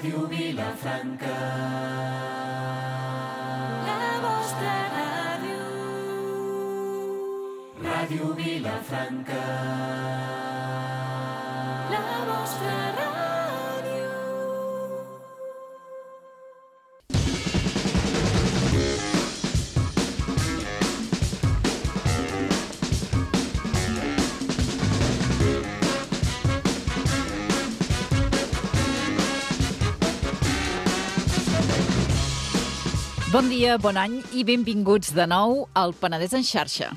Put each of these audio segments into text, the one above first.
Ràdio Vilafranca, la vostra ràdio. Ràdio Vilafranca, la vostra ràdio. Bon dia, bon any i benvinguts de nou al Penedès en xarxa.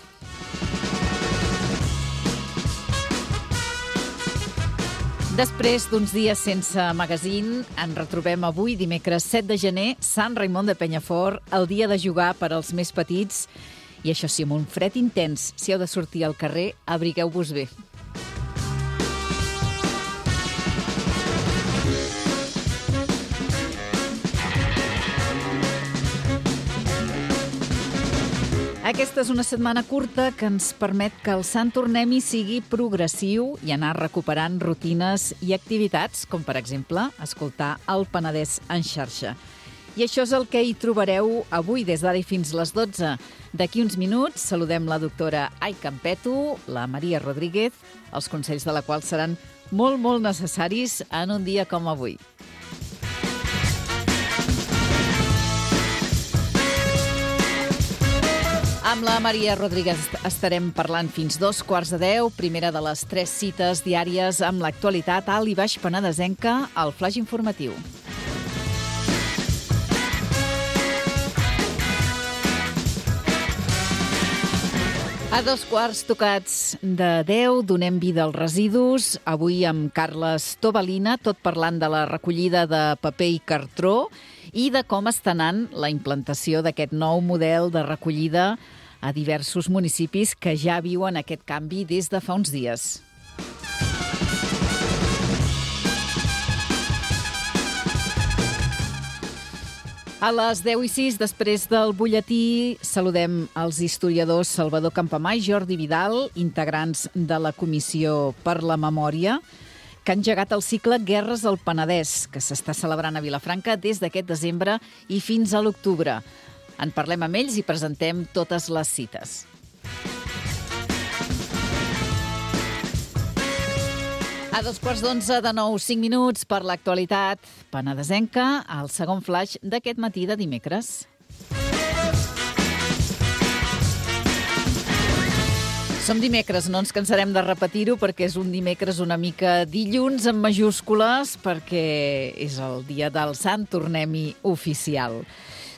Després d'uns dies sense magazín, ens retrobem avui, dimecres 7 de gener, Sant Raimon de Penyafort, el dia de jugar per als més petits. I això sí, amb un fred intens. Si heu de sortir al carrer, abrigueu-vos bé. Aquesta és una setmana curta que ens permet que el Sant Tornem-hi sigui progressiu i anar recuperant rutines i activitats, com per exemple escoltar el Penedès en xarxa. I això és el que hi trobareu avui des d'ara i fins les 12. D'aquí uns minuts saludem la doctora Ai Campeto, la Maria Rodríguez, els consells de la qual seran molt necessaris en un dia com avui. Amb la Maria Rodríguez estarem parlant fins 2:15, primera de les 3 cites diàries amb l'actualitat alt i baix penedesenca, al flaix informatiu. A 2:15 donem vida als residus. Avui amb Carles Tobalina, tot parlant de la recollida de paper i cartró i de com està anant la implantació d'aquest nou model de recollida a diversos municipis que ja viuen aquest canvi des de fa uns dies. A les 10:06, després del butlletí, saludem els historiadors Salvador Campamà i Jordi Vidal, integrants de la Comissió per la Memòria, que han engegat el cicle Guerres al Penedès, que s'està celebrant a Vilafranca des d'aquest desembre i fins a l'octubre. En parlem amb ells i presentem totes les cites. A 2:15 de nou, 5 minuts per l'actualitat penedesenca, al segon flaix d'aquest matí de dimecres. Som dimecres, no ens cansarem de repetir-ho perquè és un dimecres una mica dilluns en majúscules perquè és el dia del Sant Tornem-hi oficial.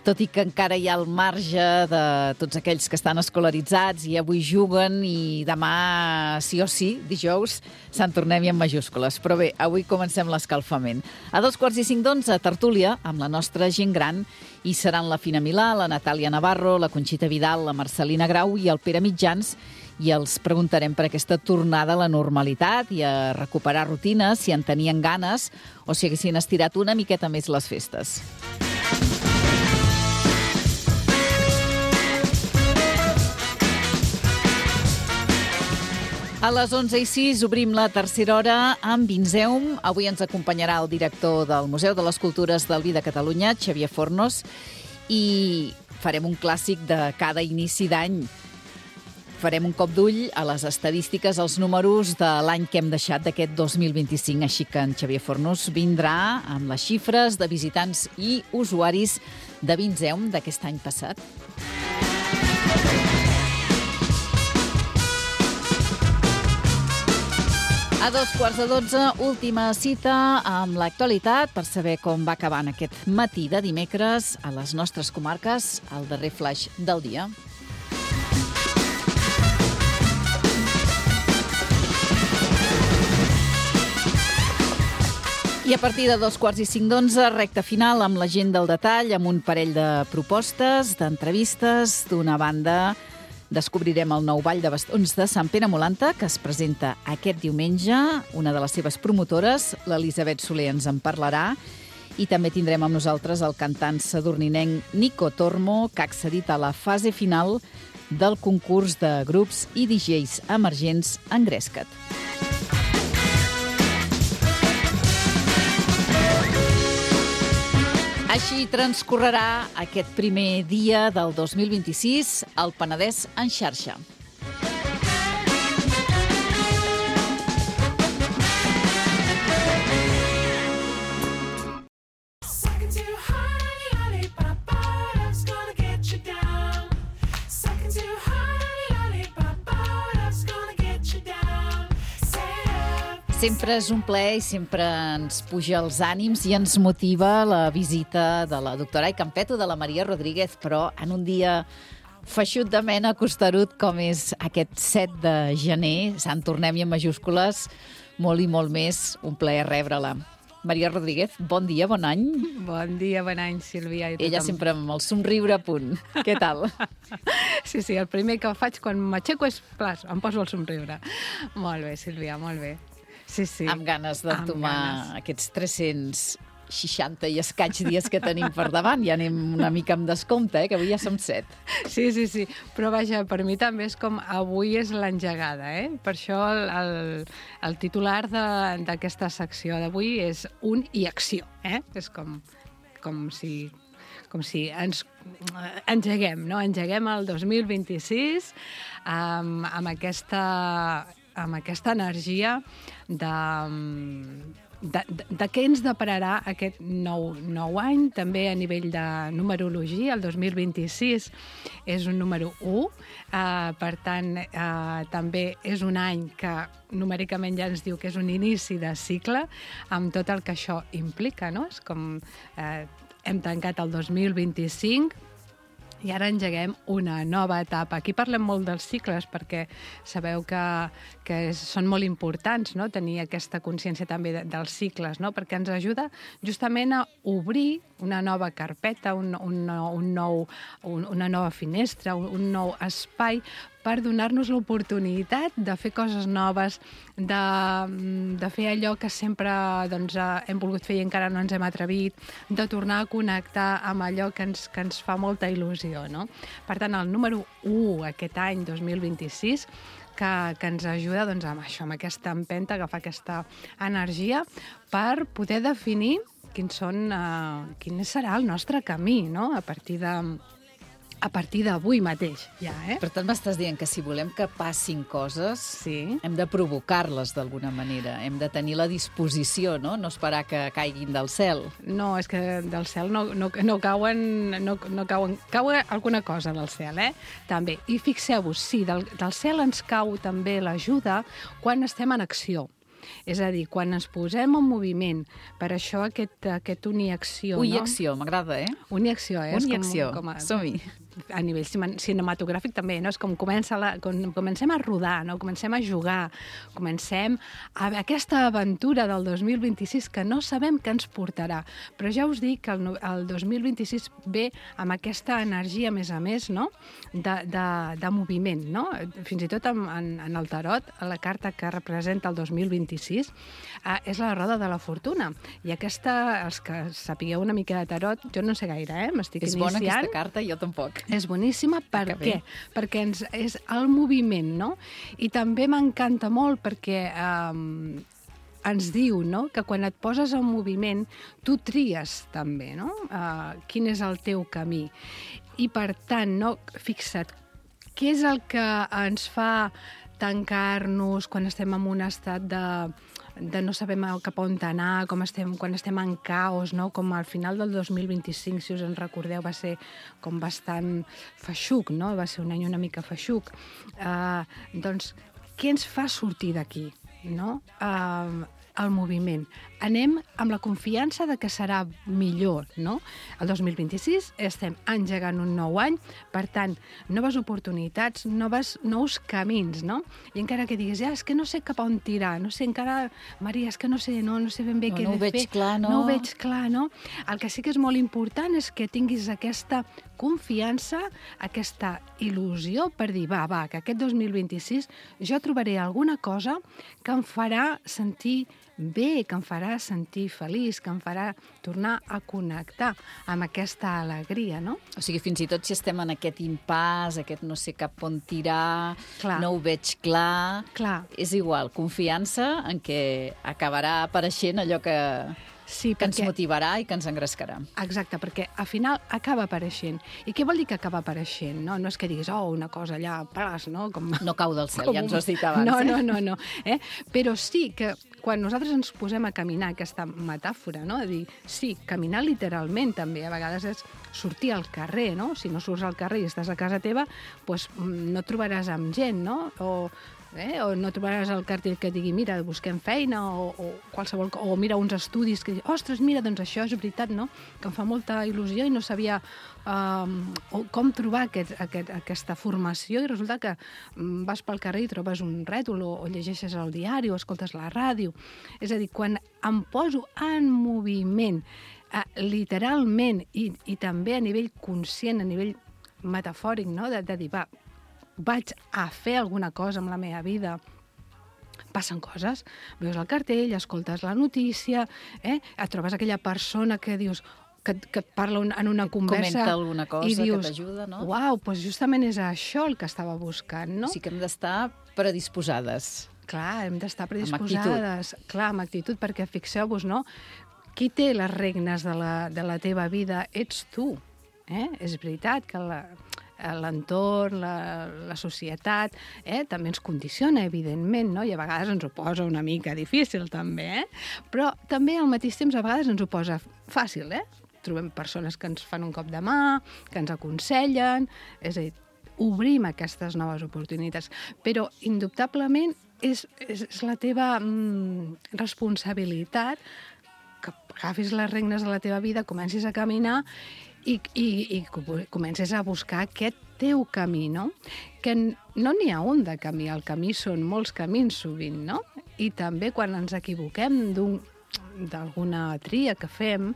Tot i que encara hi ha el marge de tots aquells que estan escolaritzats i avui juguen i demà sí o sí, dijous, Sant Tornem-hi en majúscules. Però bé, avui comencem l'escalfament. A 2:45, tertúlia amb la nostra gent gran i seran la Fina Milà, la Natàlia Navarro, la Conxita Vidal, la Marcelina Grau i el Pere Mitjans, i els preguntarem per aquesta tornada a la normalitat i a recuperar rutines, si en tenien ganes o si haguessin estirat una miqueta més les festes. A les 11:06 obrim la tercera hora amb Vinzeum. Avui ens acompanyarà el director del Museu de les Cultures del Vi de Catalunya, Xavier Fornos, i farem un clàssic de cada inici d'any. Farem un cop d'ull a les estadístiques, als números de l'any que hem deixat d'aquest 2025. Així que en Xavier Fornos vindrà amb les xifres de visitants i usuaris de Vinzeum d'aquest any passat. A 2:15, última cita amb l'actualitat per saber com va acabant aquest matí de dimecres a les nostres comarques, el darrer flaix del dia. I a partir de 2:45, recta final amb la gent del detall, amb un parell de propostes, d'entrevistes. D'una banda, descobrirem el nou ball de bastons de Sant Pere Molanta, que es presenta aquest diumenge. Una de les seves promotores, l'Elisabet Soler, ens en parlarà. I també tindrem amb nosaltres el cantant sadurninenc Nico Tormo, que ha accedit a la fase final del concurs de grups i DJs emergents Engresca't. Així transcorrerà aquest primer dia del 2026 al Penedès en xarxa. Sempre és un plaer i sempre ens puja els ànims i ens motiva la visita de la doctora Ai Campeto, de la Maria Rodríguez, però en un dia feixut de mena, costerut, com és aquest 7 de gener, Sant Tornem-hi en majúscules, molt i molt més, un plaer rebre-la. Maria Rodríguez, bon dia, bon any. Bon dia, bon any, Sílvia. I Ella sempre amb el somriure a punt. Què tal? Sí, el primer que faig quan m'aixeco és, plas, em poso el somriure. Molt bé, Sílvia, molt bé. Sí. Amb ganes d'entomar aquests 360 i escaig dies que tenim per davant. Ja anem una mica amb descompte, que avui ja som 7. Sí. Però vaja, per mi també és com avui és l'engegada, Per això el titular d'aquesta secció d'avui és un i acció, És com si ens engeguem, no? Engeguem el 2026 amb aquesta energia de què ens depararà aquest nou any, també a nivell de numerologia. El 2026 és un número 1, per tant, també és un any que numèricament ja ens diu que és un inici de cicle, amb tot el que això implica, no? És com hem tancat el 2025, i ara engeguem una nova etapa. Aquí parlem molt dels cicles perquè sabeu que són molt importants, no? Tenir aquesta consciència també dels cicles, no? Perquè ens ajuda justament a obrir una nova carpeta, una nova finestra, un nou espai per donar-nos l'oportunitat de fer coses noves, de fer allò que sempre hem volgut fer i encara no ens hem atrevit, de tornar a connectar amb allò que ens fa molta il·lusió, no? Per tant, el número 1 aquest any, 2026, que ens ajuda amb això, amb aquesta empenta, agafar aquesta energia per poder definir quin serà el nostre camí, no? A partir d'avui mateix, ja, Per tant, m'estàs dient que si volem que passin coses, hem de provocar-les d'alguna manera, hem de tenir la disposició, no? No esperar que caiguin del cel. No, és que del cel no cauen... Cau alguna cosa del cel, també. I fixeu-vos, sí, del cel ens cau també l'ajuda quan estem en acció. És a dir, quan ens posem en moviment, per això aquest uniacció, no? Uniacció, m'agrada, Uniacció, Uniacció, som-hi. A nivell cinematogràfic també, no? És com comencem a rodar, no? Comencem a jugar, comencem a aquesta aventura del 2026 que no sabem què ens portarà. Però ja us dic que el 2026 ve amb aquesta energia, a més, no? De moviment, no? Fins i tot en el tarot, la carta que representa el 2026 és la roda de la fortuna. I aquesta, els que sapigueu una mica de tarot, jo no sé gaire, m'estic iniciant. És bona aquesta carta? Jo tampoc. És boníssima, per què? Perquè és el moviment, no? I també m'encanta molt perquè ens diu, no?, que quan et poses en moviment, tu tries també, no?, quin és el teu camí. I per tant, no, fixa't, què és el que ens fa tancar-nos quan estem en un estat de no sabem cap on anar, quan estem en caos, no? Com al final del 2025, si us en recordeu, va ser com bastant feixuc, no? Va ser un any una mica feixuc. Doncs, què ens fa sortir d'aquí, no? El moviment. Anem amb la confiança de que serà millor, no? El 2026 estem engegant un nou any, per tant, noves oportunitats, nous camins, no? I encara que diguis, és que no sé cap on tirar, no sé encara, Maria, és que no sé ben bé què he de fer. No ho veig clar, no? No ho veig clar, no? El que sí que és molt important és que tinguis aquesta confiança, aquesta il·lusió per dir, que aquest 2026 jo trobaré alguna cosa que em farà sentir bé, que em farà sentir feliç, que em farà tornar a connectar amb aquesta alegria, no? O sigui, fins i tot si estem en aquest impàs, aquest no sé cap on tirar, no ho veig clar, és igual, confiança en què acabarà apareixent allò que Sí, que ens motivarà i que ens engrescarà. Exacte, perquè al final acaba apareixent. I què vol dir que acaba apareixent? No és que diguis, una cosa allà, pas, no? No cau del cel, ja ens ho has dit abans. No. Però sí que quan nosaltres ens posem a caminar, aquesta metàfora, no? De dir, sí, caminar literalment també, a vegades és sortir al carrer, no? Si no surts al carrer i estàs a casa teva, doncs no et trobaràs amb gent, no? O no trobaràs el cartell que digui, mira, busquem feina, o qualsevol, o mira uns estudis que ostres, mira, doncs això és veritat, no? Que em fa molta il·lusió i no sabia com trobar aquesta formació, i resulta que vas pel carrer i trobes un rètol, o llegeixes el diari, o escoltes la ràdio. És a dir, quan em poso en moviment, literalment, i també a nivell conscient, a nivell metafòric, no? De dir, vaig a fer alguna cosa amb la meva vida, passen coses. Veus el cartell, escoltes la notícia, et trobes aquella persona que dius que et parla en una conversa comenta alguna cosa i dius, que t'ajuda, no? Uau, doncs justament és això el que estava buscant, no? O sigui que hem d'estar predisposades. Clar, hem d'estar predisposades. Clar, amb actitud, perquè fixeu-vos, no? Qui té les regnes de la teva vida ets tu. És veritat que l'entorn, la societat, també ens condiciona, evidentment, no? I a vegades ens ho posa una mica difícil, també, però també al mateix temps a vegades ens ho posa fàcil, Trobem persones que ens fan un cop de mà, que ens aconsellen, és a dir, obrim aquestes noves oportunitats, però indubtablement és la teva responsabilitat que agafis les regnes de la teva vida, comencis a caminar i comences a buscar aquest teu camí, no? Que no n'hi ha un de camí, el camí són molts camins sovint, no? I també quan ens equivoquem d'alguna tria que fem,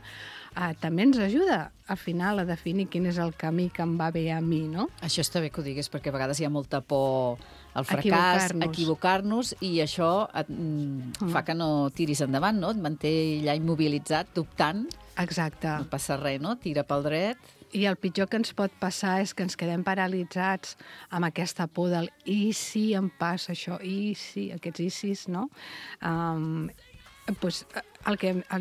també ens ajuda al final a definir quin és el camí que em va bé a mi, no? Això està bé que ho diguis, perquè a vegades hi ha molta por al fracàs, equivocar-nos, i això fa que no tiris endavant, no? Et manté allà immobilitzat, dubtant. Exacte. No passa res, no? Tira pel dret. I el pitjor que ens pot passar és que ens quedem paralitzats amb aquesta por del i si em passa això, i si, aquests i sis, no? Pues,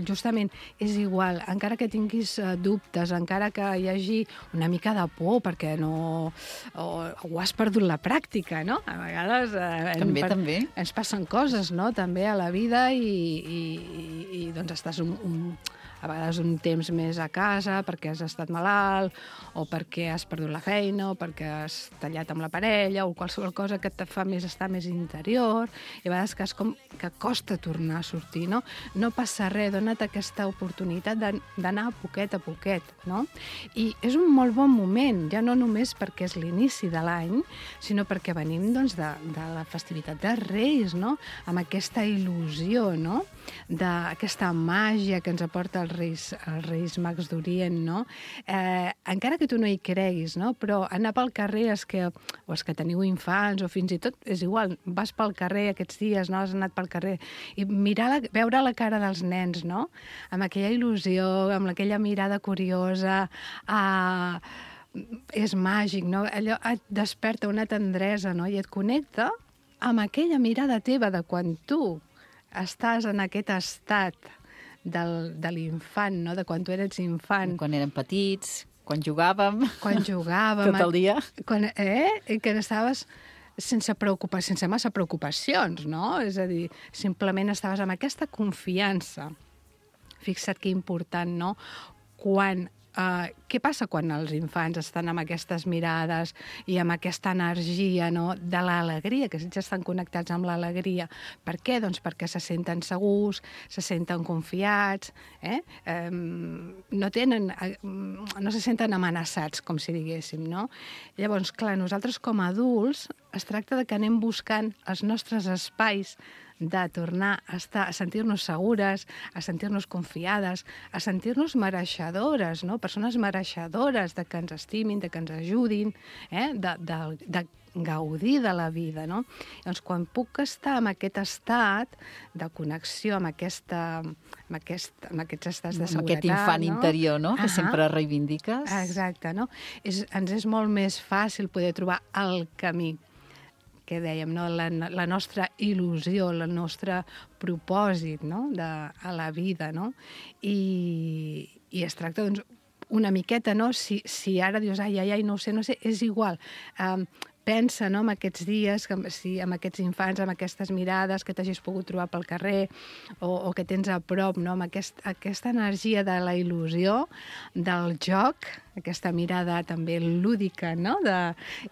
justament és igual, encara que tinguis dubtes, encara que hi hagi una mica de por perquè no ho has perdut la pràctica, no? A vegades també ens passen coses, no? També a la vida i doncs estàs a vegades un temps més a casa perquè has estat malalt o perquè has perdut la feina o perquè has tallat amb la parella o qualsevol cosa que et fa estar més interior, i a vegades que és com que costa tornar a sortir, no? No passa res, dona't aquesta oportunitat d'anar a poquet, no? I és un molt bon moment, ja no només perquè és l'inici de l'any, sinó perquè venim doncs, de la festivitat dels Reis, no? Amb aquesta il·lusió, no? D'aquesta màgia que ens aporta els Reis Mags d'Orient, no? Encara que tu no hi creguis, no? Però anar pel carrer, els que teniu infants o fins i tot, és igual, vas pel carrer aquests dies, no? Has anat pel carrer i veure la cara dels nens, no? Amb aquella il·lusió, amb aquella mirada curiosa, és màgic, no? Allò et desperta una tendresa, no? I et connecta amb aquella mirada teva de quan tu estàs en aquest estat de l'infant, no? De quan tu eres infant. Quan érem petits, quan jugàvem. Tot el dia. I que estaves sense massa preocupacions, no? És a dir, simplement estaves amb aquesta confiança. Fixa't que important, no? Què passa quan els infants estan amb aquestes mirades i amb aquesta energia, no? De l'alegria, que ells estan connectats amb l'alegria. Per què? Doncs perquè se senten segurs, se senten confiats, no se senten amenaçats, com si diguéssim, no? Llavors, clar, nosaltres com a adults es tracta de que anem buscant els nostres espais de tornar a sentir-nos segures, a sentir-nos confiades, a sentir-nos mereixedores, no? Persones mereixedores de que ens estimin, de que ens ajudin, de gaudir de la vida, no? Llavors, quan puc estar en aquest estat de connexió amb aquests estats de seguretat... Amb aquest infant interior, no? Que sempre reivindiques. Exacte, no? Ens és molt més fàcil poder trobar el camí, que dèiem, no? La nostra il·lusió, el nostre propòsit, no? A la vida, no? I es tracta, doncs, una miqueta, no? Si ara dius, ai, no ho sé, és igual. Pensa, no?, en aquests dies, amb aquests infants, amb aquestes mirades que t'hagis pogut trobar pel carrer o que tens a prop, no?, amb aquesta energia de la il·lusió, del joc, aquesta mirada també lúdica, no?,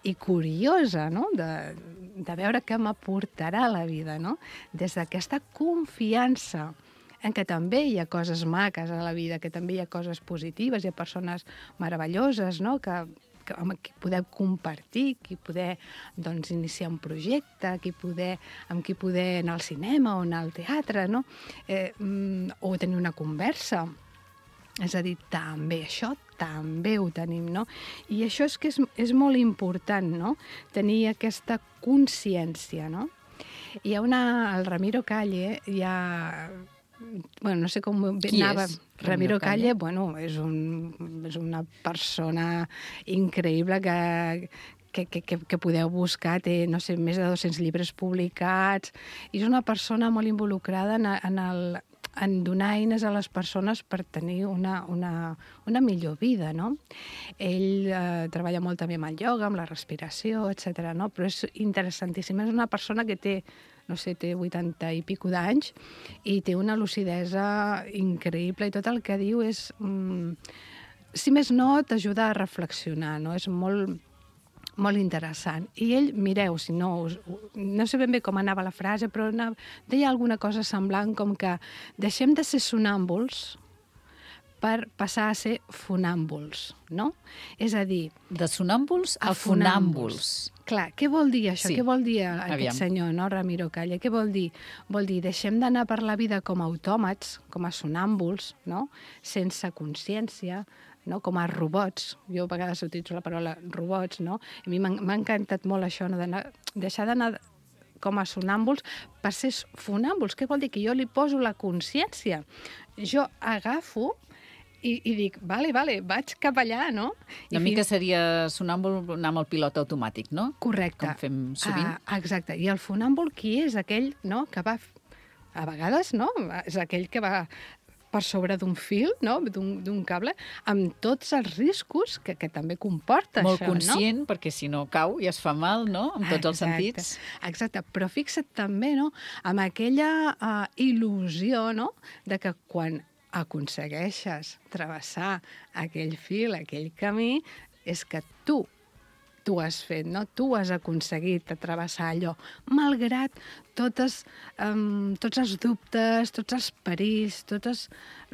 i curiosa, no?, de veure què m'aportarà la vida, no?, des d'aquesta confiança en què també hi ha coses maques a la vida, que també hi ha coses positives, hi ha persones meravelloses, no?, amb qui poder compartir, qui poder, doncs, iniciar un projecte, amb qui poder anar al cinema o anar al teatre, no?, o tenir una conversa. És a dir, també això també ho tenim, no? I això és que és molt important, no?, tenir aquesta consciència, no? Hi ha el Ramiro Calle, bueno, no sé com anava. Qui és? Ramiro Calle, bueno, és una persona increïble que podeu buscar, té, no sé, més de 200 llibres publicats, i és una persona molt involucrada en donar eines a les persones per tenir una millor vida, no? Ell treballa molt també amb el ioga, amb la respiració, etc., no? Però és interessantíssim. És una persona que té, no sé, té 80 i pico d'anys i té una lucidesa increïble i tot el que diu és, si més no, t'ajuda a reflexionar, no? És molt interessant. I ell, mireu, si no sé ben bé com anava la frase, però deia alguna cosa semblant com que deixem de ser sonàmbuls per passar a ser fonàmbuls, no? És a dir... De sonàmbuls a fonàmbuls. Clar, què vol dir això? Sí. Què vol dir aquest senyor, no, Ramiro Calle? Què vol dir? Vol dir, deixem d'anar per la vida com a autòmats, com a sonàmbuls, no?, sense consciència, no?, com a robots. Jo a vegades utilitzo la paraula robots, no? A mi m'ha encantat molt això, no?, deixar d'anar com a sonàmbuls per ser fonàmbuls. Què vol dir? Que jo li poso la consciència. Jo agafo i dic, vale, vaig cap allà, no? Una mica seria sonàmbul anar amb el pilot automàtic, no? Correcte. Com fem sovint. Exacte. I el fonàmbul qui és? Aquell, no?, que va... A vegades, no?, és aquell que va per sobre d'un fil, no?, d'un cable, amb tots els riscos que també comporta molt això, no? Molt conscient, perquè si no cau i es fa mal, no?, amb tots els sentits. Exacte, però fixa't també, no?, amb aquella il·lusió, no?, de que quan aconsegueixes travessar aquell fil, aquell camí, és que tu has fet, no? Tu has aconseguit travessar allò, malgrat tots els dubtes, tots els perills, totes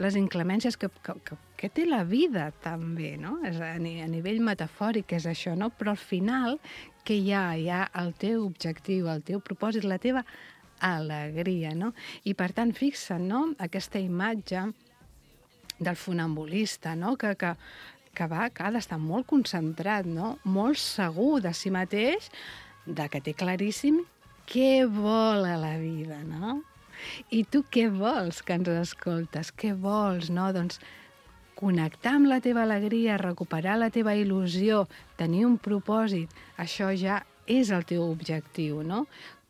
les inclemències que té la vida, també, no? A nivell metafòric és això, no? Però al final, que hi ha el teu objectiu, el teu propòsit, la teva alegria, no? I per tant, fixa't, no?, aquesta imatge del funambulista, no?, que ha d'estar molt concentrat, no?, molt segur de si mateix, de que té claríssim què vol a la vida, no? I tu què vols, que ens escoltes? Què vols, no? Doncs connectar amb la teva alegria, recuperar la teva il·lusió, tenir un propòsit, això ja és el teu objectiu, no?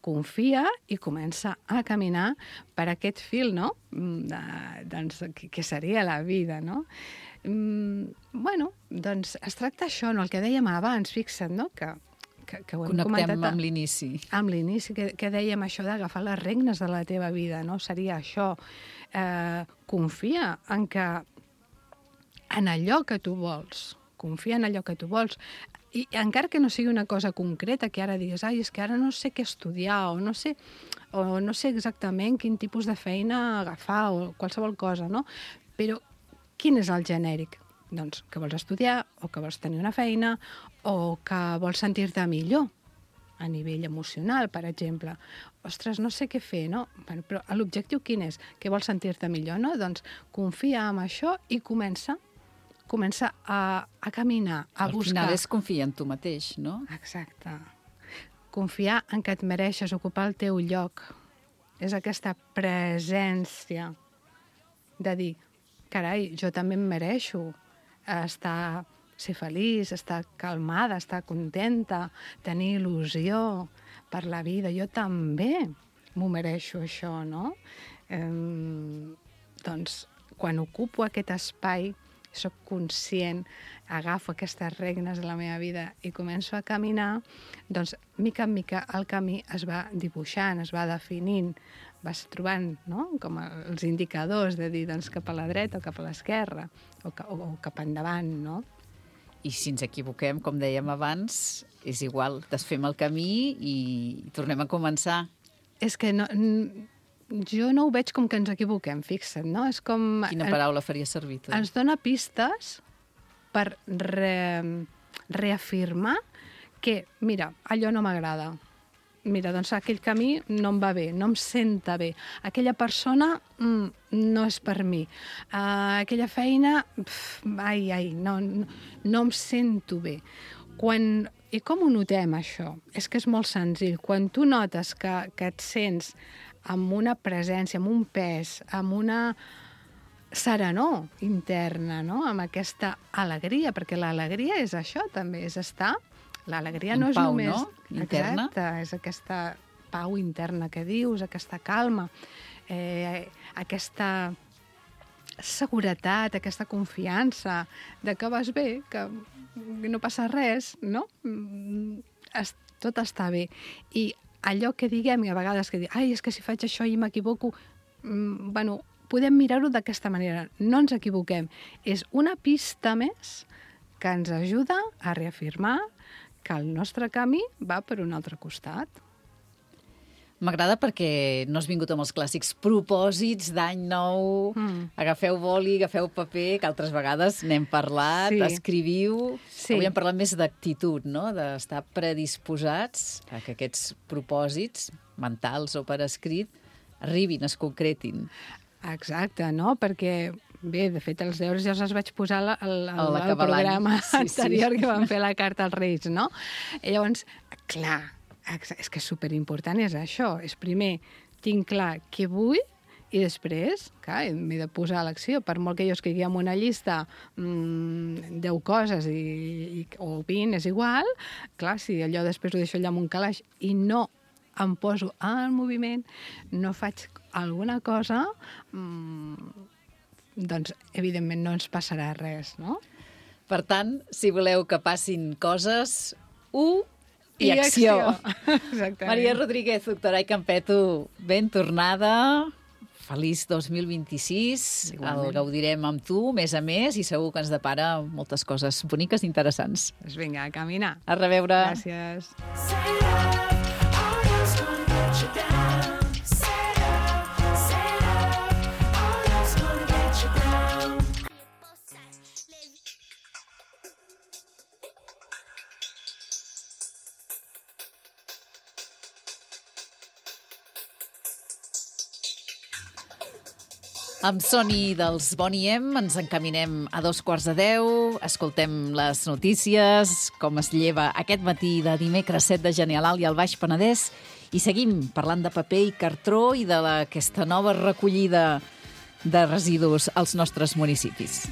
Confia i comença a caminar per aquest fil, no?, doncs, que seria la vida, no? Bueno, doncs es tracta això, no?, el que dèiem abans, fixa't, no?, que ho hem comentat... Connectem amb l'inici. Amb l'inici, que dèiem això d'agafar les regnes de la teva vida, no? Seria això. Confia en allò que tu vols. Confia en allò que tu vols. I encara que no sigui una cosa concreta, que ara digues, és que ara no sé què estudiar, o no sé exactament quin tipus de feina agafar, o qualsevol cosa, no? Però quin és el genèric? Doncs que vols estudiar, o que vols tenir una feina, o que vols sentir-te millor a nivell emocional, per exemple. Ostres, no sé què fer, no? Bueno, però l'objectiu quin és? Que vols sentir-te millor, no? Doncs confia en això i comença a caminar, a buscar. Al final és confiar en tu mateix, no? Exacte. Confiar en que et mereixes ocupar el teu lloc. És aquesta presència de dir, carai, jo també em mereixo ser feliç, estar calmada, estar contenta, tenir il·lusió, per la vida. Jo també m'ho mereixo, això, no? Doncs, quan ocupo aquest espai, soc conscient, agafo aquestes regnes de la meva vida i començo a caminar, doncs, mica en mica, el camí es va dibuixant, es va definint, vas trobant, no?, com els indicadors de dir, doncs, cap a la dreta o cap a l'esquerra, o cap endavant, no? I si ens equivoquem, com dèiem abans, és igual, desfem el camí i tornem a començar. És que no... Jo no ho veig com que ens equivoquem, fixa't, no? És com... Quina paraula faria servir tu? Ens dona pistes per reafirmar que, mira, allò no m'agrada. Mira, doncs aquell camí no em va bé, no em senta bé. Aquella persona no és per mi. Aquella feina, no em sento bé. I com ho notem, això? És que és molt senzill. Quan tu notes que et sents amb una presència, amb un pes, amb una serenor interna, no?, amb aquesta alegria, perquè l'alegria és això també, és estar... L'alegria no és pau, només... no? Interna. Exacte, és aquesta pau interna que dius, aquesta calma, aquesta seguretat, aquesta confiança de que vas bé, que no passa res, no? Tot està bé. I allò que diguem, i a vegades que dic, és que si faig això i m'equivoco, bueno, podem mirar-ho d'aquesta manera. No ens equivoquem. És una pista més que ens ajuda a reafirmar que el nostre camí va per un altre costat. M'agrada perquè no has vingut amb els clàssics propòsits d'any nou, agafeu boli, agafeu paper, que altres vegades n'hem parlat, escriviu... Sí. Avui hem parlat més d'actitud, no?, d'estar predisposats a que aquests propòsits mentals o per escrit arribin, es concretin. Exacte, no? Perquè, bé, de fet, els deures ja els vaig posar al programa anterior que vam fer la carta als Reis, no? I llavors, clar, és que superimportant és això. És primer, tinc clar què vull i després, clar, m'he de posar a l'acció. Per molt que jo escrigui en una llista 10 coses o 20, és igual. Clar, si allò després ho deixo allà en un calaix i no em poso en moviment, no faig alguna cosa, doncs, evidentment, no ens passarà res, no? Per tant, si voleu que passin coses, i acció. Exactament. Maria Rodríguez, doctora i Campeto, ben tornada. Feliç 2026. Igualment. El gaudirem amb tu, més a més, i segur que ens depara moltes coses boniques i interessants. Doncs vinga, a caminar. A reveure. Gràcies. Amb Soni dels Boney M ens encaminem a 9:45, escoltem les notícies, com es lleva aquest matí de dimecres 7 de gener a l'Alt i al Baix Penedès, i seguim parlant de paper i cartró i d'aquesta nova recollida de residus als nostres municipis.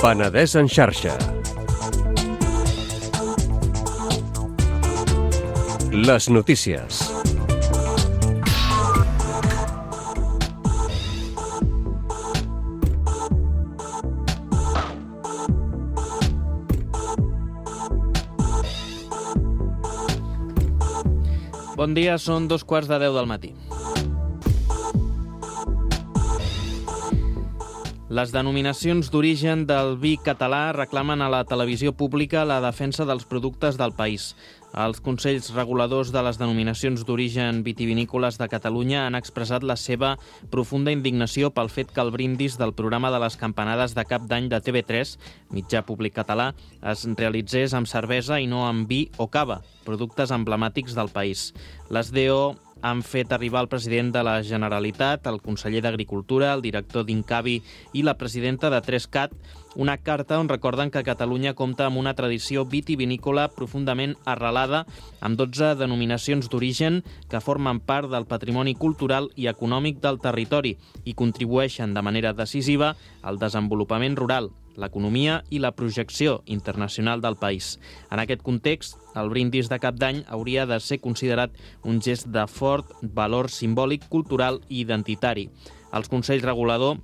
Penedès en xarxa. Les notícies. Bon dia, són 2:15 del matí. Les denominacions d'origen del vi català reclamen a la televisió pública la defensa dels productes del país. Els Consells Reguladors de les Denominacions d'Origen Vitivinícoles de Catalunya han expressat la seva profunda indignació pel fet que el brindis del programa de les campanades de cap d'any de TV3, mitjà públic català, es realitzés amb cervesa i no amb vi o cava, productes emblemàtics del país. Les DO han fet arribar al president de la Generalitat, el conseller d'Agricultura, el director d'Incavi i la presidenta de 3CAT una carta on recorden que Catalunya compta amb una tradició vitivinícola profundament arrelada amb 12 denominacions d'origen que formen part del patrimoni cultural i econòmic del territori i contribueixen de manera decisiva al desenvolupament rural, l'economia i la projecció internacional del país. En aquest context, el brindis de cap d'any hauria de ser considerat un gest de fort valor simbòlic, cultural i identitari. Els Consells Regulador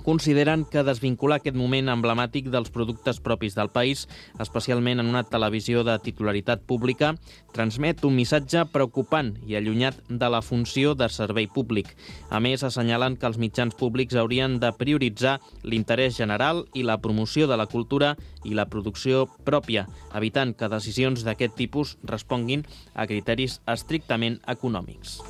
consideren que desvincular aquest moment emblemàtic dels productes propis del país, especialment en una televisió de titularitat pública, transmet un missatge preocupant i allunyat de la funció de servei públic. A més, assenyalen que els mitjans públics haurien de prioritzar l'interès general i la promoció de la cultura i la producció pròpia, evitant que decisions d'aquest tipus responguin a criteris estrictament econòmics.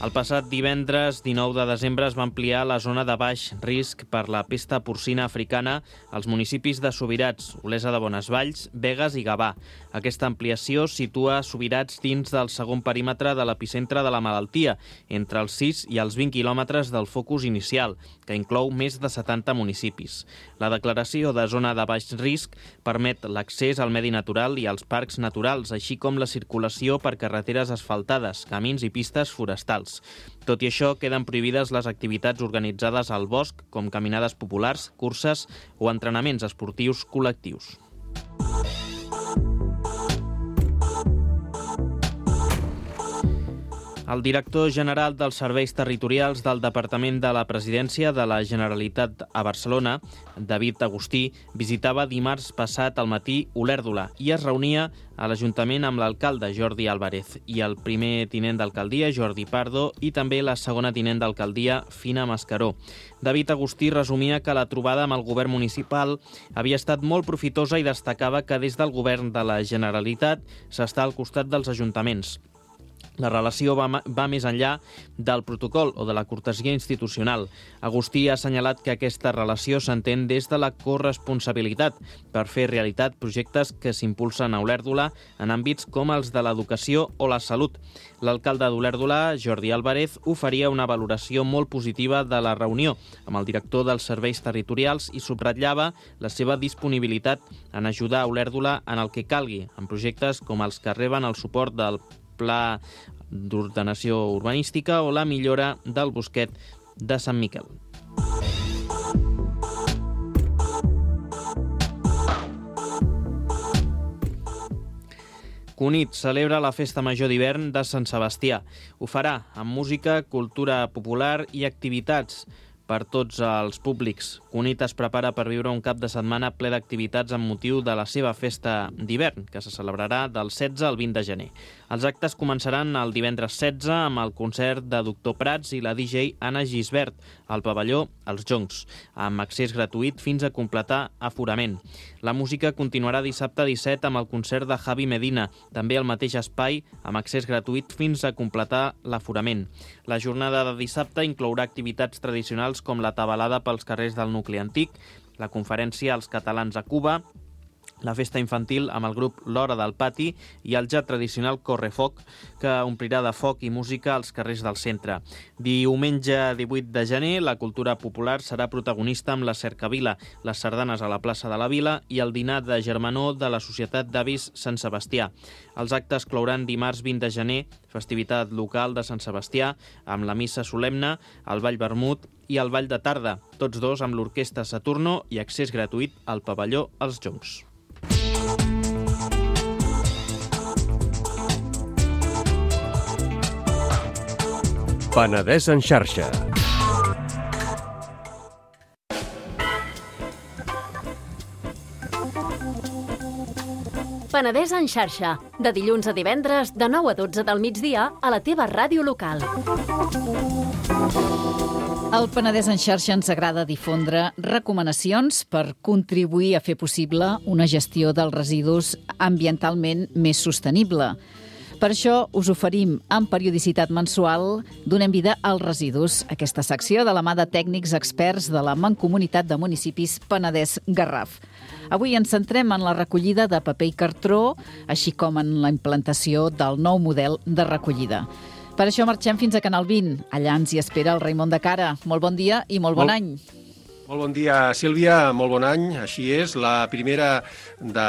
El passat divendres 19 de desembre es va ampliar la zona de baix risc per la pesta porcina africana als municipis de Subirats, Olesa de Bonesvalls, Begues i Gavà. Aquesta ampliació situa Subirats dins del segon perímetre de l'epicentre de la malaltia, entre els 6 i els 20 quilòmetres del focus inicial, que inclou més de 70 municipis. La declaració de zona de baix risc permet l'accés al medi natural i als parcs naturals, així com la circulació per carreteres asfaltades, camins i pistes forestals. Tot i això, queden prohibides les activitats organitzades al bosc, com caminades populars, curses o entrenaments esportius col·lectius. El director general dels Serveis Territorials del Departament de la Presidència de la Generalitat a Barcelona, David Agustí, visitava dimarts passat al matí Olèrdola i es reunia a l'Ajuntament amb l'alcalde Jordi Álvarez i el primer tinent d'alcaldia Jordi Pardo i també la segona tinent d'alcaldia Fina Mascaró. David Agustí resumia que la trobada amb el govern municipal havia estat molt profitosa i destacava que des del govern de la Generalitat s'està al costat dels ajuntaments. La relació va més enllà del protocol o de la cortesia institucional. Agustí ha assenyalat que aquesta relació s'entén des de la corresponsabilitat per fer realitat projectes que s'impulsen a Olèrdola en àmbits com els de l'educació o la salut. L'alcalde d'Olèrdola, Jordi Álvarez, oferia una valoració molt positiva de la reunió amb el director dels serveis territorials i subratllava la seva disponibilitat en ajudar a Olèrdola en el que calgui, en projectes com els que reben el suport del Pla d'Ordenació Urbanística o la millora del Bosquet de Sant Miquel. Cunit celebra la Festa Major d'hivern de Sant Sebastià. Ho farà amb música, cultura popular i activitats per tots els públics. Cunit es prepara per viure un cap de setmana ple d'activitats amb motiu de la seva festa d'hivern, que se celebrarà del 16 al 20 de gener. Els actes començaran el divendres 16 amb el concert de Doctor Prats i la DJ Anna Gisbert al pavelló Els Joncs, amb accés gratuït fins a completar aforament. La música continuarà dissabte 17 amb el concert de Javi Medina, també al mateix espai, amb accés gratuït fins a completar l'aforament. La jornada de dissabte inclourà activitats tradicionals com la tabalada pels carrers del nucli antic, la conferència als catalans a Cuba, la festa infantil amb el grup L'Hora del Pati i el ja tradicional Correfoc, que omplirà de foc i música als carrers del centre. Diumenge 18 de gener, la cultura popular serà protagonista amb la cercavila, les sardanes a la plaça de la Vila i el dinar de germanor de la Societat d'Avis Sant Sebastià. Els actes clouran dimarts 20 de gener, festivitat local de Sant Sebastià, amb la missa solemne, el ball vermut i el ball de tarda, tots dos amb l'orquestra Saturno i accés gratuït al pavelló Els Joncs. Penedès en xarxa. Penedès en xarxa, de dilluns a divendres, de 9 a 12 del migdia, a la teva ràdio local. Al Penedès en xarxa ens agrada difondre recomanacions per contribuir a fer possible una gestió dels residus ambientalment més sostenible. Per això us oferim amb periodicitat mensual Donem vida als residus, aquesta secció de la mà de tècnics experts de la Mancomunitat de Municipis Penedès-Garraf. Avui ens centrem en la recollida de paper i cartró, així com en la implantació del nou model de recollida. Per això marxem fins a Canal 20. Allà ens hi espera el Raimon de Cara. Molt bon dia i molt bon any. Molt bon dia, Sílvia, molt bon any. Així és, la primera de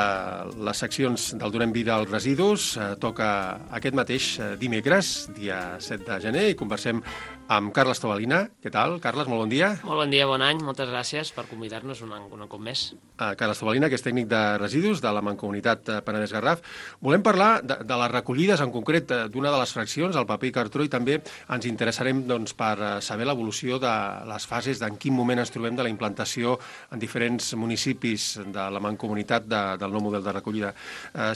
les seccions del Donem vida als residus toca aquest mateix dimecres, dia 7 de gener, i conversem amb Carles Tobalina. Què tal, Carles? Molt bon dia. Molt bon dia, bon any. Moltes gràcies per convidar-nos un cop més. Carles Tobalina, que és tècnic de residus de la Mancomunitat Penedès-Garraf. Volem parlar de les recollides, en concret d'una de les fraccions, el paper i cartró, i també ens interessarem per saber l'evolució de les fases, d'en quin moment ens trobem de la implantació en diferents municipis de la Mancomunitat del nou model de recollida.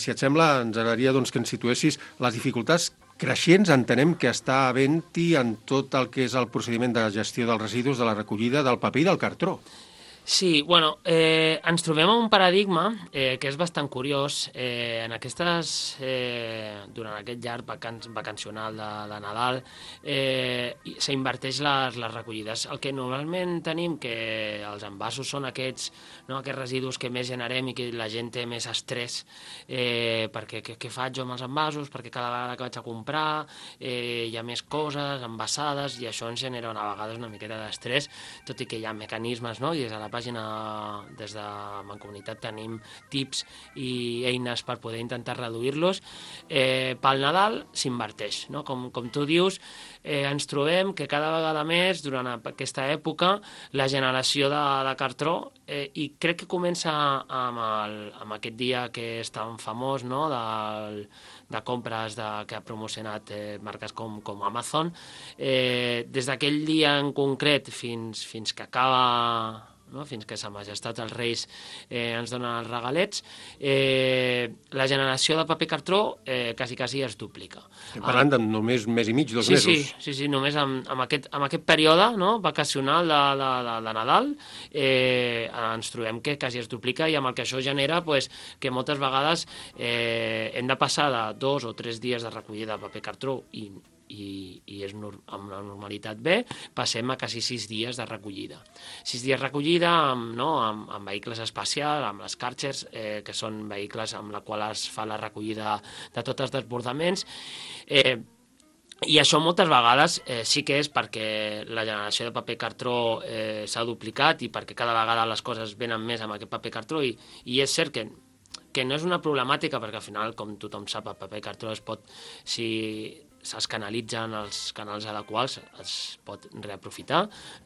Si et sembla, ens agradaria que ens situessis les dificultats creixents, entenem que està havent-hi en tot el que és el procediment de gestió dels residus, de la recollida del paper i del cartró. Sí, bueno, ens trobem en un paradigma que és bastant curiós. En aquestes, durant aquest llarg vacacional de Nadal, s'inverteix les recollides. El que normalment tenim, que els envasos són aquests residus que més generem i que la gent té més estrès, perquè què faig jo amb els envasos, perquè cada vegada que vaig a comprar hi ha més coses envasades i això ens genera a vegades una miqueta d'estrès, tot i que hi ha mecanismes, no? I des de la pàgina, des de Mancomunitat, tenim tips i eines per poder intentar reduir-los. Pel Nadal s'inverteix, no? Com tu dius, ens trobem que cada vegada més, durant aquesta època, la generació de cartró, i crec que comença amb aquest dia que és tan famós, no? de compres que ha promocionat marques com Amazon. Des d'aquell dia en concret fins que acaba, fins que Sa Majestat els Reis ens donen els regalets, la generació de paper cartró quasi es duplica. Estem parlant de només un mes i mig, 2 mesos. Sí, només amb aquest període vacacional de Nadal ens trobem que quasi es duplica, i amb el que això genera que moltes vegades hem de passar de 2 o 3 dies de recollida de paper cartró i és amb la normalitat bé, passem a quasi 6 dies de recollida. 6 dies de recollida amb vehicles especials, amb les Karchers, que són vehicles amb la qual es fa la recollida de tots els desbordaments. I això moltes vegades sí que és perquè la generació de paper cartró s'ha duplicat i perquè cada vegada les coses venen més amb aquest paper cartró, i és cert que no és una problemàtica, perquè al final, com tothom sap, el paper cartró es pot, si es canalitzen els canals adequats, es pot reaprofitar,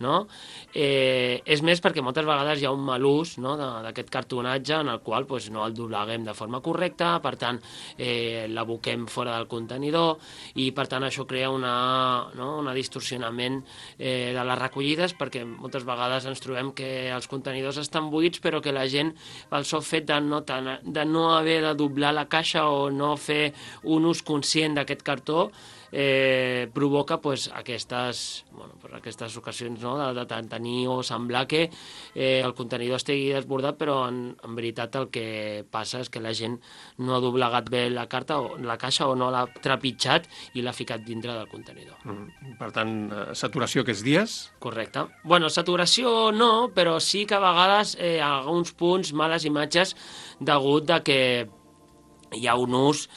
no? És més perquè moltes vegades hi ha un mal ús d'aquest cartonatge en el qual no el dobleguem de forma correcta, per tant l'aboquem fora del contenidor, i per tant això crea un distorsionament de les recollides, perquè moltes vegades ens trobem que els contenidors estan buits, però que la gent, pel sol fet de no haver de doblar la caixa o no fer un ús conscient d'aquest cartó, provoca aquestes ocasions de tenir o semblar que el contenidor estigui desbordat, però en veritat el que passa és que la gent no ha doblegat bé la caixa o no l'ha trepitjat i l'ha ficat dintre del contenidor. Per tant, saturació aquests dies? Correcte. Bueno, saturació no, però sí que a vegades a alguns punts males imatges degut de que hi ha un ús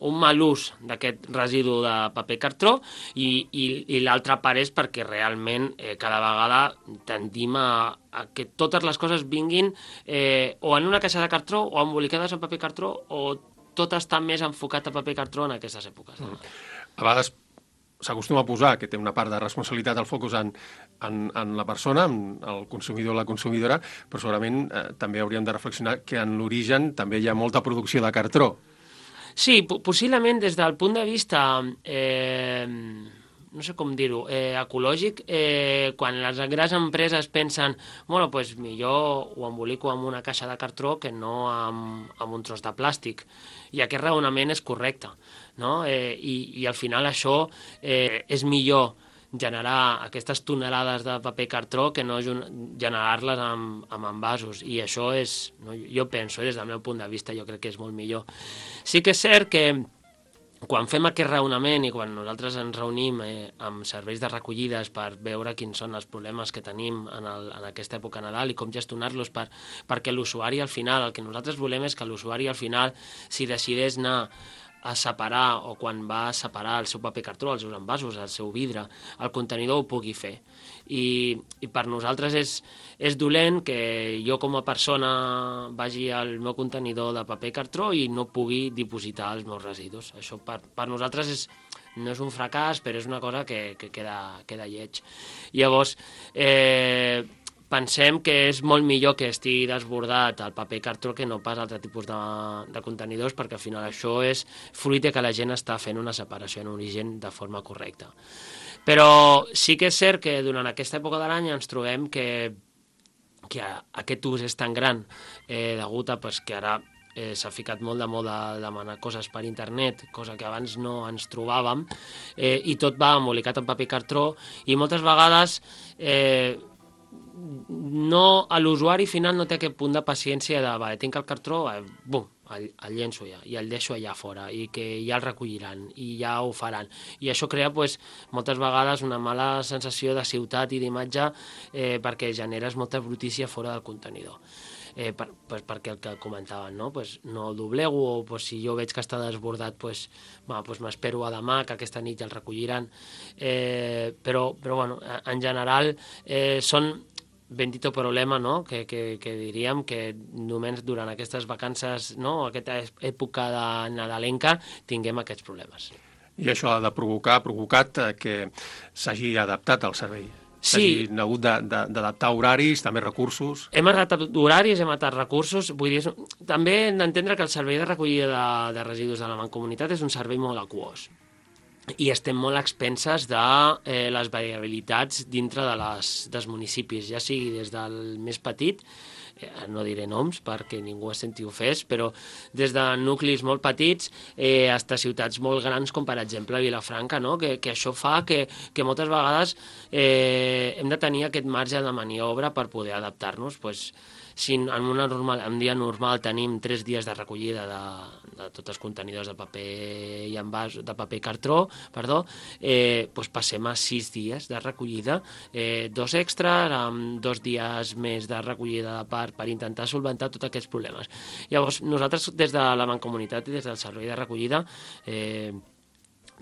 un mal ús d'aquest residu de paper cartró i l'altra part és perquè realment cada vegada tendim a que totes les coses vinguin o en una caixa de cartró o embolicades en paper cartró, o tot està més enfocat a paper cartró en aquestes èpoques. A vegades s'acostuma a posar que té una part de responsabilitat al focus en la persona, el consumidor o la consumidora, però segurament també hauríem de reflexionar que en l'origen també hi ha molta producció de cartró. Sí, possiblement des del punt de vista no sé com dir-ho, ecològic, quan les grans empreses pensen, bueno, doncs millor ho embolico amb una caixa de cartró que no amb un tros de plàstic. I aquest raonament és correcte, no? I al final això és millor generar aquestes tonelades de paper cartró que no generar-les amb envasos. I això és, no, jo penso, des del meu punt de vista, jo crec que és molt millor. Sí que és cert que quan fem aquest raonament i quan nosaltres ens reunim amb serveis de recollides per veure quins són els problemes que tenim en aquesta època Nadal i com gestionar-los perquè l'usuari al final, el que nosaltres volem és que l'usuari al final, si decideix anar a separar o quan va a separar el seu paper cartró, els seus envasos, el seu vidre, el contenidor ho pugui fer. I per nosaltres és dolent que jo com a persona vagi al meu contenidor de paper cartró i no pugui dipositar els meus residus. Això per nosaltres no és un fracàs, però és una cosa que queda lleig. Llavors, pensem que és molt millor que estigui desbordat el paper cartró que no pas altre tipus de contenidors, perquè al final això és fruit de que la gent està fent una separació en origen de forma correcta. Però sí que és cert que durant aquesta època de l'any ens trobem que aquest ús és tan gran degut a que ara s'ha ficat molt de moda demanar coses per internet, cosa que abans no ens trobàvem, i tot va embolicat en paper cartró, i moltes vegades l'usuari final no té aquest punt de paciència de tinc el cartró, bum, el llenço ja, i el deixo allà fora, i que ja el recolliran, i ja ho faran. I això crea moltes vegades una mala sensació de ciutat i d'imatge perquè generes molta brutícia fora del contenidor. Perquè el que comentaven, no el doblego, o si jo veig que està desbordat, m'espero a demà, que aquesta nit ja el recolliran. Però bueno, en general són bendito problema, no? que diríem que només durant aquestes vacances, no? Aquesta època de nadalenca, tinguem aquests problemes. I això ha de provocat que s'hagi adaptat al servei. Sí. S'hagin hagut d'adaptar horaris, també recursos. Hem adaptat horaris, hem adaptat recursos. Vull dir, també hem d'entendre que el servei de recollida de residus de la Mancomunitat és un servei molt aquós. I estem molt expenses de les variabilitats dintre dels municipis, ja sigui des del més petit, no diré noms perquè ningú es senti ofès, però des de nuclis molt petits fins a ciutats molt grans com per exemple Vilafranca, no? que això fa que moltes vegades hem de tenir aquest marge de maniobra per poder adaptar-nos. Si en un dia normal tenim 3 dies de recollida de tots els contenidors de paper i envàs, de paper cartró, passem a 6 dies de recollida, 2 extras, amb 2 dies més de recollida de part per intentar solventar tots aquests problemes. Llavors, nosaltres des de la Mancomunitat i des del servei de recollida,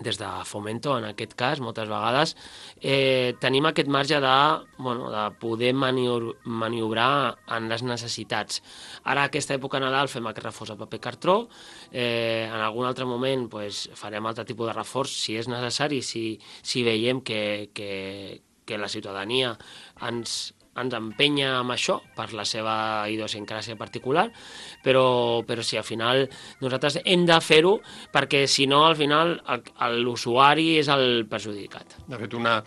des de Fomento, en aquest cas, moltes vegades, tenim aquest marge de poder maniobrar en les necessitats. Ara, aquesta època Nadal, fem aquest reforç a paper cartró. En algun altre moment farem altre tipus de reforç, si és necessari, si veiem que la ciutadania ens empenya amb això per la seva idiosincràsia particular, però si al final nosaltres hem de fer-ho perquè si no al final l'usuari és el perjudicat. De fet, una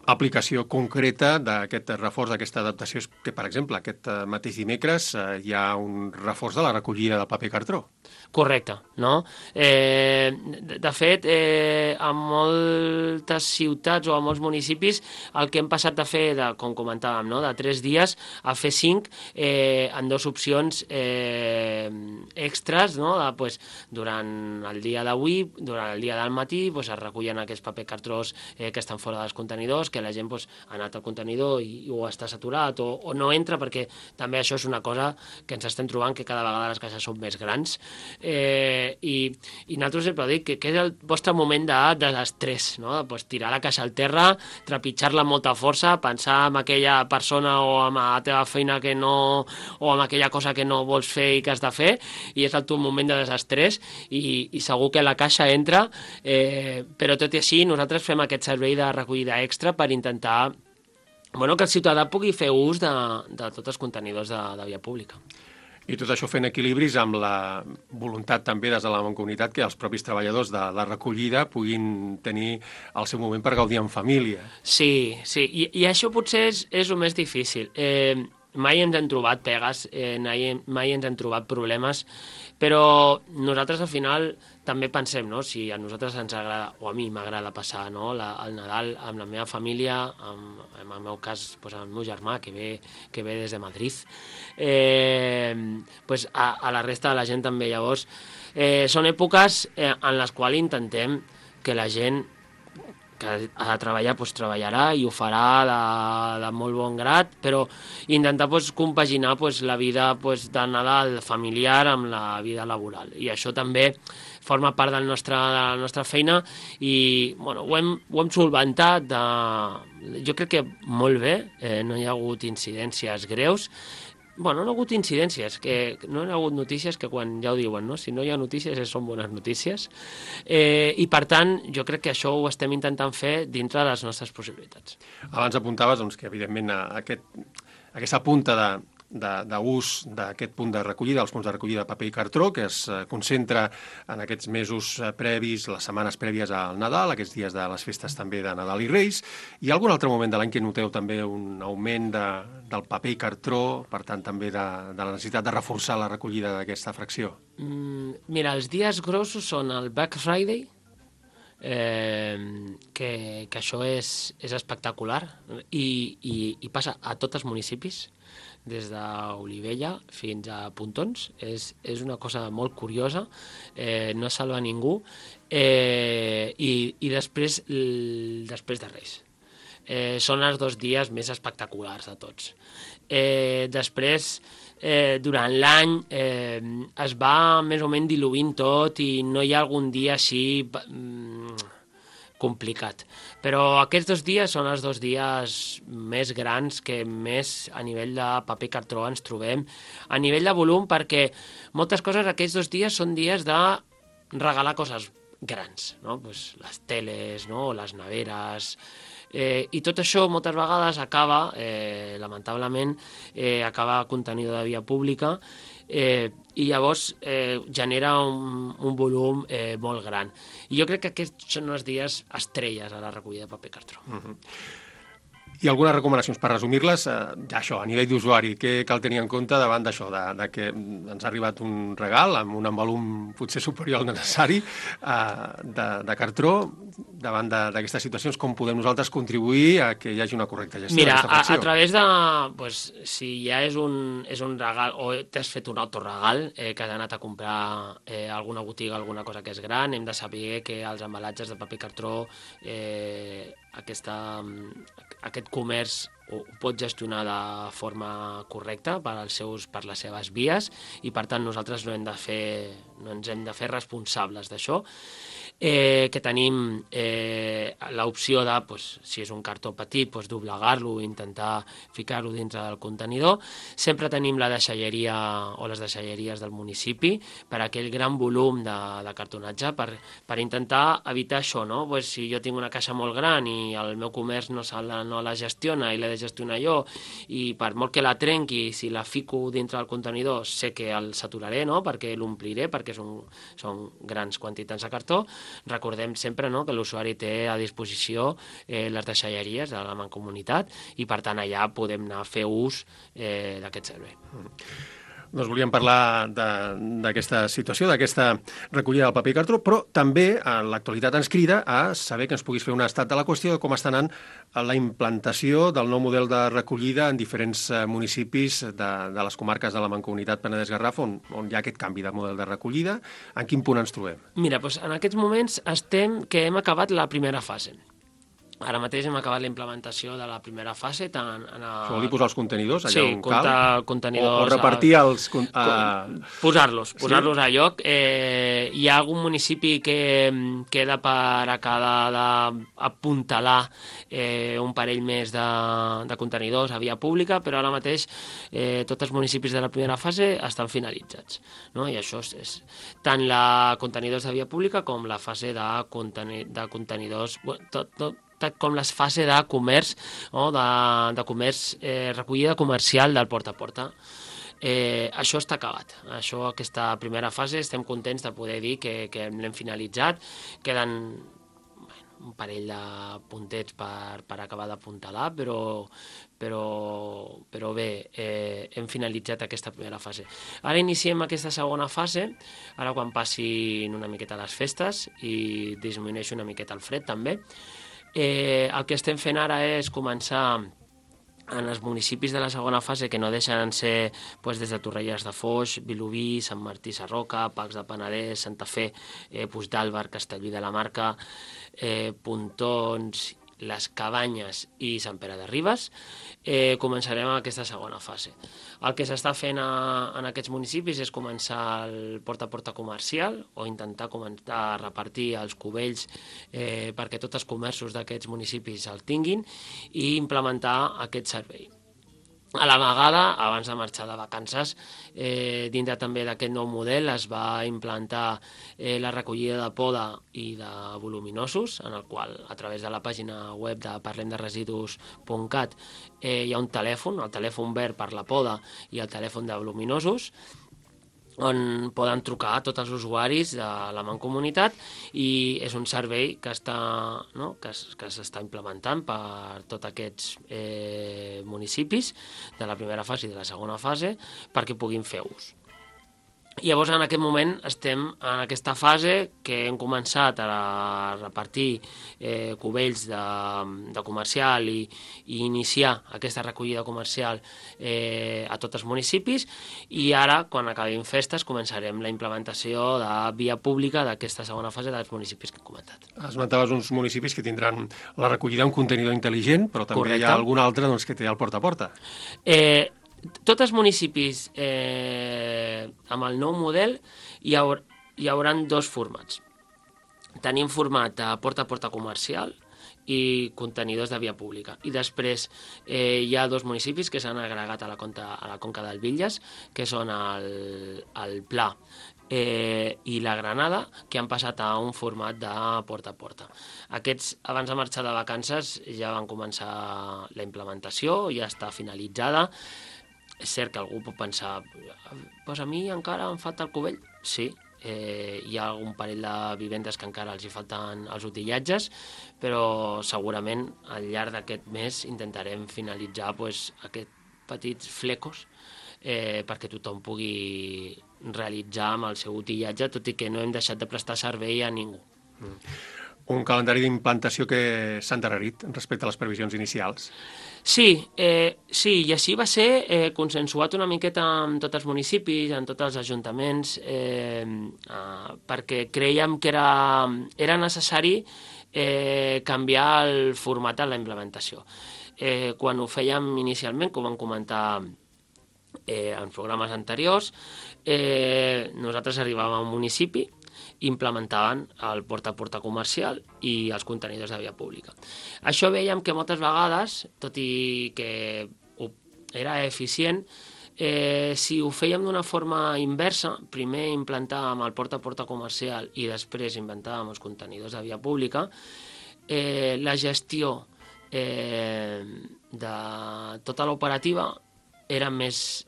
aplicació concreta d'aquest reforç, d'aquesta adaptació és que, per exemple, aquest mateix dimecres hi ha un reforç de la recollida del paper cartró. Correcte, no? De fet, a moltes ciutats o a molts municipis el que hem passat de fer, com comentàvem, de 3 dies a fer 5 en 2 opcions extras, durant el dia d'avui, durant el dia del matí, es recullen aquests paper cartrós que estan fora dels contenidors, que la gent ha anat al contenidor i o està saturat o no entra, perquè també això és una cosa que ens estem trobant, que cada vegada les caixes són més grans. I nosaltres sempre dic que és el vostre moment de l'estrès, no? Tirar la caixa al terra, trepitjar-la amb molta força, pensar en aquella persona o en la teva feina o en aquella cosa que no vols fer i que has de fer, i és el teu moment de desestrès i segur que la caixa entra, però tot i així nosaltres fem aquest servei de recollida extra per intentar que el ciutadà pugui fer ús de tots els contenidors de via pública. I tot això fent equilibris amb la voluntat també des de la Mancomunitat que els propis treballadors de la recollida puguin tenir el seu moment per gaudir en família. Sí, i això potser és el més difícil. Mai ens hem trobat pegues, mai ens hem trobat problemes, però nosaltres al final també pensem, no? Si a nosaltres ens agrada, o a mi m'agrada passar, no? el Nadal amb la meva família, en el meu cas doncs, amb el meu germà que ve des de Madrid, doncs a la resta de la gent també. Llavors, són èpoques en les quals intentem que la gent que ha de treballar, doncs treballarà i ho farà de molt bon grat, però intentar compaginar la vida de Nadal familiar amb la vida laboral. I això també forma part de la nostra feina i bueno, ho hem solventat jo crec que molt bé, no hi ha hagut incidències greus. Bueno, no ha hagut incidències, que no hi ha hagut notícies que quan ja ho diuen, no? Si no hi ha notícies són bones notícies. I per tant, jo crec que això ho estem intentant fer dintre de les nostres possibilitats. Abans apuntaves que, evidentment, aquesta punta d'ús d'aquest punt de recollida, els punts de recollida de paper i cartró, que es concentra en aquests mesos previs, les setmanes prèvies al Nadal, aquests dies de les festes també de Nadal i Reis. Hi ha algun altre moment de l'any que noteu també un augment del paper i cartró, per tant també de la necessitat de reforçar la recollida d'aquesta fracció? Mira, els dies grossos són el Black Friday, que això és espectacular i passa a tots els municipis, des d'Olivella fins a Pontons. És una cosa molt curiosa, no salva ningú, i després de Reis. Són els 2 dies més espectaculars de tots. Després, durant l'any, es va més o menys diluint tot i no hi ha algun dia així complicat. Però aquests 2 dies són els 2 dies més grans que més a nivell de paper i cartró ens trobem, a nivell de volum, perquè moltes coses aquests 2 dies són dies de regalar coses grans, no? Pues les teles, no? Les neveres, i tot això moltes vegades acaba, lamentablement, acaba contenidor de via pública, i llavors genera un volum molt gran. I jo crec que aquests són els dies estrelles a la recollida de paper i cartró. I algunes recomanacions per resumir-les, ja això, a nivell d'usuari, què cal tenir en compte davant d'això, de que ens ha arribat un regal amb un volum potser superior al necessari de cartró, davant d'aquestes situacions, com podem nosaltres contribuir a que hi hagi una correcta gestió d'aquesta fracció? A través de, si ja és un regal o t'has fet un autoregal, que has anat a comprar a alguna botiga, alguna cosa que és gran, hem de saber que els embalatges de paper i cartró, aquest comerç ho pot gestionar de forma correcta per les seves vies i per tant nosaltres no ens hem de fer responsables d'això, que tenim l'opció de, si és un cartó petit, doblegar-lo i intentar ficar-lo dintre del contenidor. Sempre tenim la deixalleria o les deixalleries del municipi per aquell gran volum de cartonatge per intentar evitar això, no? Si jo tinc una caixa molt gran i el meu comerç no la gestiona i l'he de gestionar jo, i per molt que la trenqui, si la fico dintre del contenidor sé que el saturaré, no? Perquè l'ompliré, perquè són grans quantitats de cartó. Recordem sempre, no?, que l'usuari té a disposició les deixalleries de la Mancomunitat i per tant allà podem anar a fer ús d'aquest servei. Doncs volíem parlar d'aquesta situació, d'aquesta recollida del paper i cartró, però també l'actualitat ens crida a saber que ens puguis fer un estat de la qüestió de com està anant la implantació del nou model de recollida en diferents municipis de les comarques de la Mancomunitat Penedès-Garraf, on hi ha aquest canvi de model de recollida. En quin punt ens trobem? Mira, en aquests moments que hem acabat la primera fase. Ara mateix hem acabat la implementació de la primera fase. Això vol dir posar els contenidors allà on cal? Contenidors, o repartir els... Posar-los a lloc. Hi ha algun municipi que queda per acabar d'apuntalar un parell més de contenidors a via pública, però ara mateix tots els municipis de la primera fase estan finalitzats, no? I això és tant la contenidors de via pública com la fase de contenidors... com les fases de comerç, de comerç, recollida comercial del porta a porta. Això està acabat. Aquesta primera fase estem contents de poder dir que l'hem finalitzat. Queden un parell de puntets per acabar d'apuntalar, però bé, hem finalitzat aquesta primera fase. Ara iniciem aquesta segona fase, ara quan passin una miqueta les festes i disminueixi una miqueta el fred també. El que estem fent ara és començar en els municipis de la segona fase, que no deixen ser des de Torrelles de Foix, Vilobí, Sant Martí Sarroca, Pacs de Penedès, Santa Fe, Puigdàlber, Castellví de la Marca, Pontons, les Cabanyes i Sant Pere de Ribes, començarem aquesta segona fase. El que s'està fent en aquests municipis és començar el porta a porta comercial o intentar començar a repartir els cubells perquè tots els comerços d'aquests municipis el tinguin i implementar aquest servei. A la vegada, abans de marxar de vacances, dintre també d'aquest nou model es va implantar la recollida de poda i de voluminosos, en el qual, a través de la pàgina web de parlemderesidus.cat, hi ha un telèfon, el telèfon verd per la poda i el telèfon de voluminosos, on poden trucar tots els usuaris de la Mancomunitat i és un servei que s'està implementant per tots aquests municipis de la primera fase i de la segona fase perquè puguin fer ús. Llavors, en aquest moment, estem en aquesta fase que hem començat a repartir cubells de comercial i iniciar aquesta recollida comercial a tots els municipis i ara, quan acabin festes, començarem la implementació de via pública d'aquesta segona fase dels municipis que hem comentat. Esmentaves uns municipis que tindran la recollida un contenidor intel·ligent, però també Correcte. Hi ha algun altre que té el porta a porta. Tots els municipis amb el nou model hi haurà dos formats. Tenim format de porta a porta comercial i contenidors de via pública. I després hi ha dos municipis que s'han agregat a la Conca del Villas, que són el Pla i la Granada, que han passat a un format de porta a porta. Aquests, abans de marxar de vacances, ja van començar la implementació, ja està finalitzada. És cert que algú pot pensar, doncs a mi encara em falta el cubell. Sí, hi ha algun parell de vivendes que encara els hi falten els utillatges, però segurament al llarg d'aquest mes intentarem finalitzar aquests petits flecos perquè tothom pugui realitzar amb el seu utillatge, tot i que no hem deixat de prestar servei a ningú. Un calendari d'implantació que s'ha endarrerit respecte a les previsions inicials. Sí, i així va ser consensuat una miqueta amb tots els municipis, amb tots els ajuntaments, perquè creiem que era necessari canviar el format de la implementació. Quan ho fèiem inicialment, que ho vam comentar en programes anteriors, nosaltres arribàvem a un municipi, implementaven el porta a porta comercial i els contenidors de via pública. Això veiem que moltes vegades, tot i que era eficient, si ho fèiem d'una forma inversa, primer implantàvem el porta a porta comercial i després inventàvem els contenidors de via pública, la gestió de tota l'operativa era més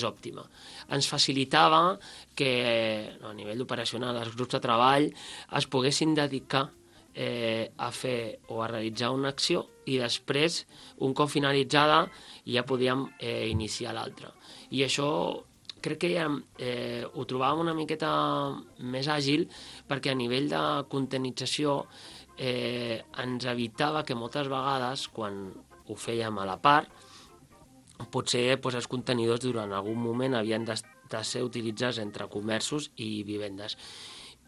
òptima. Ens facilitava que a nivell operacional els grups de treball es poguessin dedicar a fer o a realitzar una acció i després, un cop finalitzada, ja podíem iniciar l'altra. I això crec que ja ho trobàvem una miqueta més àgil perquè a nivell de contenització ens evitava que moltes vegades, quan ho fèiem a la part, potser els contenidors durant algun moment havien de ser utilitzats entre comerços i vivendes.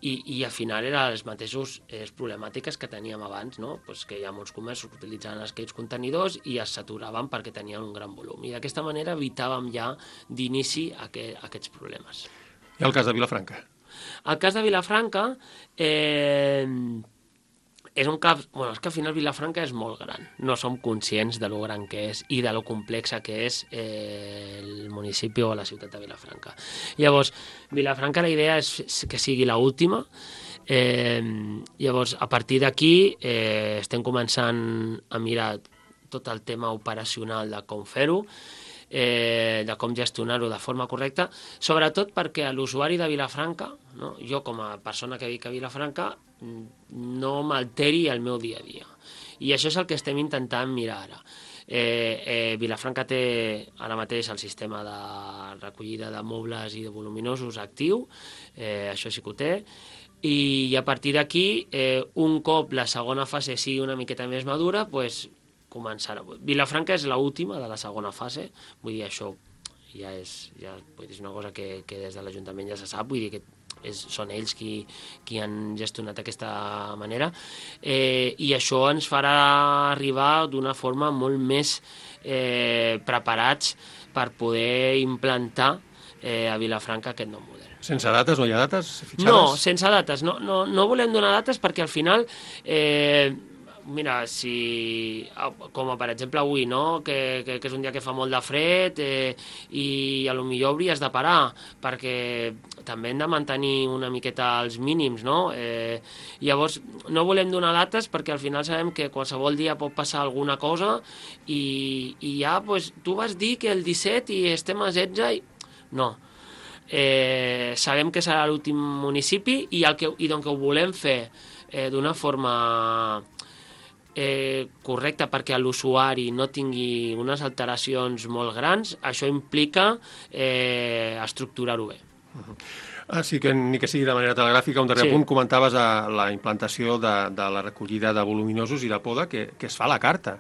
I al final eren les mateixes problemàtiques que teníem abans, no? Que hi ha molts comerços que utilitzaven aquells contenidors i es saturaven perquè tenien un gran volum. I d'aquesta manera evitàvem ja d'inici aquests problemes. I el cas de Vilafranca? El cas de Vilafranca és un cas... és que al final Vilafranca és molt gran. No som conscients de lo gran que és i de lo complexa que és el municipi o la ciutat de Vilafranca. Llavors, Vilafranca la idea és que sigui l'última. Llavors, a partir d'aquí estem començant a mirar tot el tema operacional de com fer-ho. de com gestionar-ho de forma correcta, sobretot perquè l'usuari de Vilafranca, no? Jo com a persona que vic a Vilafranca, no m'alteri el meu dia a dia. I això és el que estem intentant mirar ara. Vilafranca té ara mateix el sistema de recollida de mobles i de voluminosos actiu, això sí que ho té, i a partir d'aquí, un cop la segona fase sigui una miqueta més madura, doncs començarà. Vilafranca és l'última de la segona fase, vull dir, això ja és una cosa que des de l'Ajuntament ja se sap, vull dir que són ells qui han gestionat d'aquesta manera, i això ens farà arribar d'una forma molt més preparats per poder implantar a Vilafranca aquest nou model. Sense dates? No hi ha dates fixades? No, sense dates. No volem donar dates perquè al final... Mira, si, com per exemple avui, no? que és un dia que fa molt de fred i potser hauries de parar perquè també hem de mantenir una miqueta els mínims, no? Llavors, no volem donar dates perquè al final sabem que qualsevol dia pot passar alguna cosa i ja, pues, tu vas dir que el 17 i estem a 16 i... No. Sabem que serà l'últim municipi i doncs que ho volem fer d'una forma... correcta perquè l'usuari no tingui unes alteracions molt grans, això implica estructurar-ho bé. Sí que ni que sigui de manera telegràfica, un darrer punt, comentaves la implantació de la recollida de voluminosos i de poda que es fa a la carta.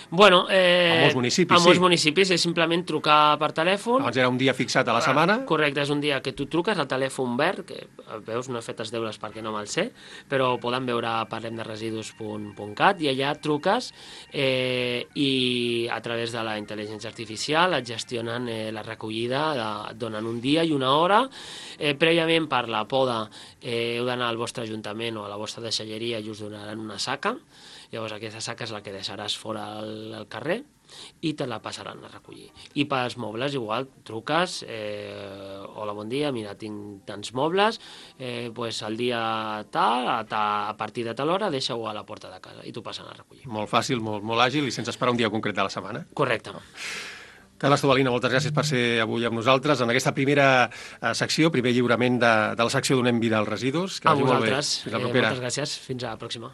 Bueno, a molts municipis, a molts municipis és simplement trucar per telèfon. Abans era un dia fixat a la setmana. Correcte, és un dia que tu truques al telèfon verd, que veus, no he fet els deures perquè no me'l sé, però poden veure parlemderesidus.cat i allà truques i a través de la intel·ligència artificial et gestionen la recollida, et donen un dia i una hora. Prèviament per la poda heu d'anar al vostre ajuntament o a la vostra deixalleria i us donaran una saca. Llavors aquesta saca és la que deixaràs fora al carrer i te la passaran a recollir. I pels mobles igual, truques, hola, bon dia, mira, tinc tants mobles, pues el dia tal, a partir de tal hora, deixa-ho a la porta de casa i t'ho passen a recollir. Molt fàcil, molt àgil i sense esperar un dia concret de la setmana. Correcte. Carles Tobalina, moltes gràcies per ser avui amb nosaltres en aquesta primera secció, primer lliurament de la secció Donem vida als residus. A vosaltres, moltes gràcies, fins a la pròxima.